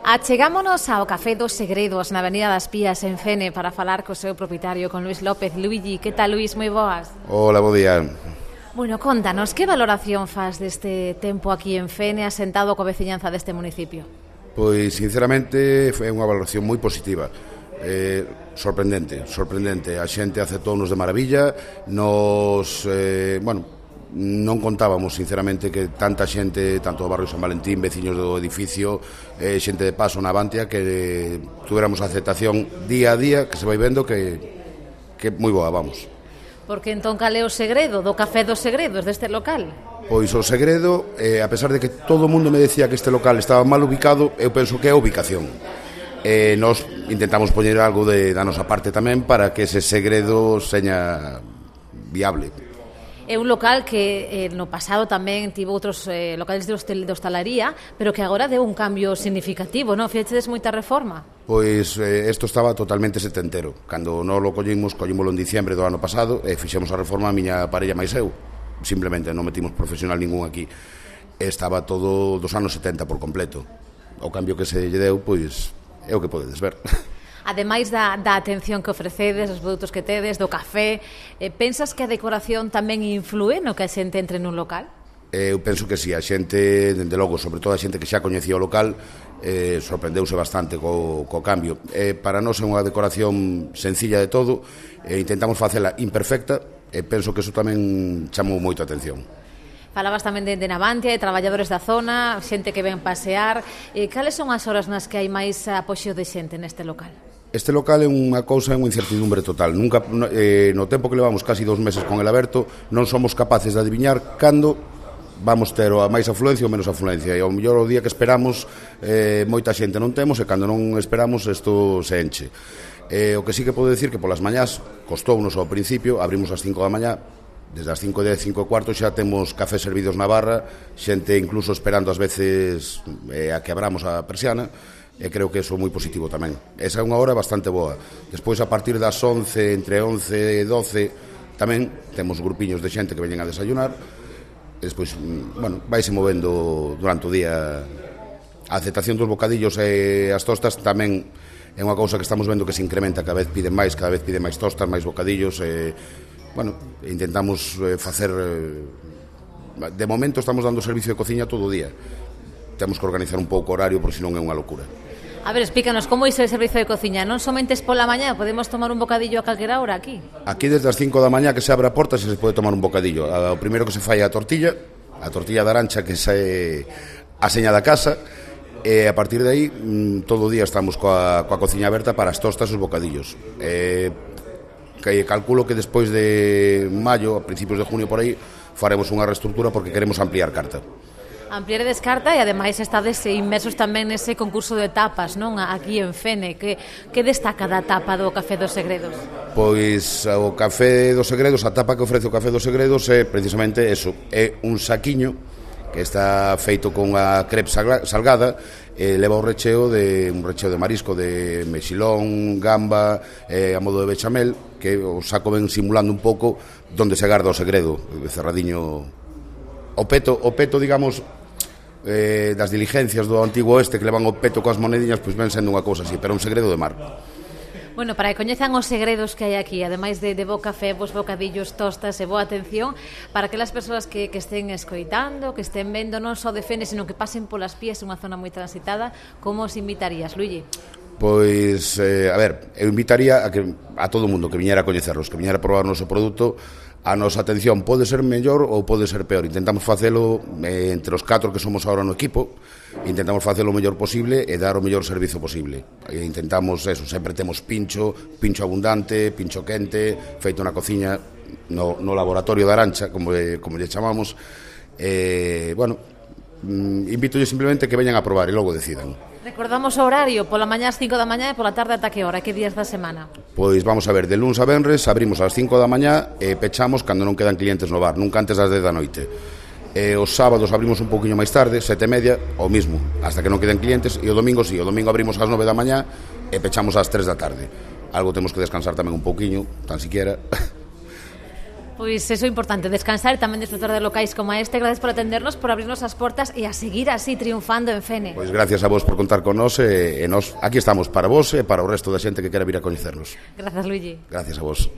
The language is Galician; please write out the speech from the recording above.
Achegámonos ao Café dos Segredos na Avenida das Pías en Fene para falar co seu propietario, con Luís López. Luigi, que tal, Luís? Moi boas. Hola, bo día. Bueno, contanos, que valoración faz deste tempo aquí en Fene, asentado coa veciñanza deste municipio? Pois, sinceramente, foi unha valoración moi positiva. Sorprendente. A xente aceptounos de maravilla. Nos, non contábamos, sinceramente, que tanta xente, tanto do barrio San Valentín, veciños do edificio, xente de paso na Bantia, que tuéramos a aceptación día a día, que se vai vendo que moi boa, vamos. Porque entón cal é o segredo do Café dos Segredos deste local? Pois o segredo, a pesar de que todo o mundo me decía que este local estaba mal ubicado, eu penso que é a ubicación. Nos intentamos poñer algo da nosa parte tamén para que ese segredo seña viable. É un local que no pasado tamén tivo outros locales de hostalaría, pero que agora deu un cambio significativo, non? Fixedes moita reforma? Pois isto estaba totalmente setentero. Cando non lo collímolo en diciembre do ano pasado e fixemos a reforma a miña parella máis eu. Simplemente non metimos profesional ningún aquí. Estaba todo dos anos 70 por completo. O cambio que se lle deu, pois, é o que podedes ver. Ademais da atención que ofrecedes, os produtos que tedes, do café, pensas que a decoración tamén influe no que a xente entre nun local? Eu penso que si, a xente, dende logo, sobre todo a xente que xa coñecía o local, sorprendeuse bastante co cambio. Para nós é unha decoración sencilla de todo, intentamos facela imperfecta, e penso que eso tamén chamou moito a atención. Falabas tamén de Navantia, de traballadores da zona, xente que ven pasear. Cales son as horas nas que hai máis apoxeo de xente neste local? Este local é unha cousa, é unha incertidumbre total. Nunca, no tempo que levamos casi 2 meses con el aberto, non somos capaces de adiviñar cando vamos ter a máis afluencia ou menos afluencia. E ao mellor o día que esperamos moita xente non temos, e cando non esperamos isto se enche. O que sí que podo decir que polas mañás costounos ao principio, abrimos ás 5 da mañá, desde as 5:10, 5:15 xa temos café servidos na barra, xente incluso esperando ás veces a que abramos a persiana, e creo que eso é moi positivo tamén. Esa é unha hora bastante boa. Despois, a partir das 11, entre 11 e 12, tamén temos grupiños de xente que veñen a desayunar. Despois, vaise movendo durante o día. A aceptación dos bocadillos e as tostas tamén é unha cousa que estamos vendo que se incrementa, cada vez piden máis tostas, máis bocadillos. Intentamos facer... De momento estamos dando servicio de cociña todo o día. Temos que organizar un pouco o horario, porque senón é unha locura. A ver, explícanos, como é o servicio de cociña? Non somente pola mañá, podemos tomar un bocadillo a calquera hora aquí? Aquí desde as 5 da mañá que se abre a porta se pode tomar un bocadillo. O primeiro que se fai é a tortilla de arancha, que é a seña da casa, e a partir de aí todo o día estamos coa cociña aberta para as tostas e os bocadillos. Que calculo que despois de maio, a principios de junio por aí, faremos unha reestructura porque queremos ampliar carta. Ampliar descarta, e ademais estades inmersos tamén nese concurso de tapas, non? Aquí en Fene, que destaca da tapa do Café dos Segredos? Pois o Café dos Segredos, a tapa que ofrece o Café dos Segredos é precisamente eso, é un saquiño que está feito con a crepe salgada, leva un recheo de marisco, de mexilón, gamba, a modo de bechamel, que o saco ven simulando un pouco donde se garda o segredo, cerradiño o peto, digamos, das diligencias do antigo oeste, que levan o peto coas monediñas, pois ven sendo unha cousa así, pero un segredo de mar. Bueno, para que coñezan os segredos que hai aquí, ademais de bo café, bos bocadillos, tostas e boa atención, para aquelas persoas que estén escoitando, que estén vendo non só de Fene, sino que pasen polas Pías, unha zona moi transitada, como os invitarías, Luigi? Pois, eu invitaría a todo o mundo que viñera a coñecerlos, que viñera a probar o noso produto. A nosa atención pode ser mellor ou pode ser peor. Intentamos facelo entre os 4 que somos agora no equipo, intentamos facelo o mellor posible e dar o mellor servizo posible. Intentamos eso, sempre temos pincho abundante, pincho quente, feito na cociña, no laboratorio de Arancha, como lle chamamos. Invítolle simplemente que veñan a probar e logo decidan. Recordamos o horario, pola mañá ás 5 da mañá e pola tarde ata que hora, que días da semana? Pois vamos a ver, de luns a venres abrimos ás 5 da mañá e pechamos cando non quedan clientes no bar, nunca antes das 10 da noite. Os sábados abrimos un poquinho máis tarde, 7:30, o mismo, hasta que non queden clientes, e o domingo sí, o domingo abrimos ás 9 da mañá e pechamos ás 3 da tarde. Algo temos que descansar tamén un poquinho, tan siquiera. Pois eso é importante, descansar e tamén disfrutar de locais como este. Gracias por atendernos, por abrirnos as portas e a seguir así triunfando en Fene. Pois gracias a vos por contar con nós e nós aquí estamos para vos e para o resto da xente que quera vir a coñecernos. Grazas, Luigi. Gracias a vos.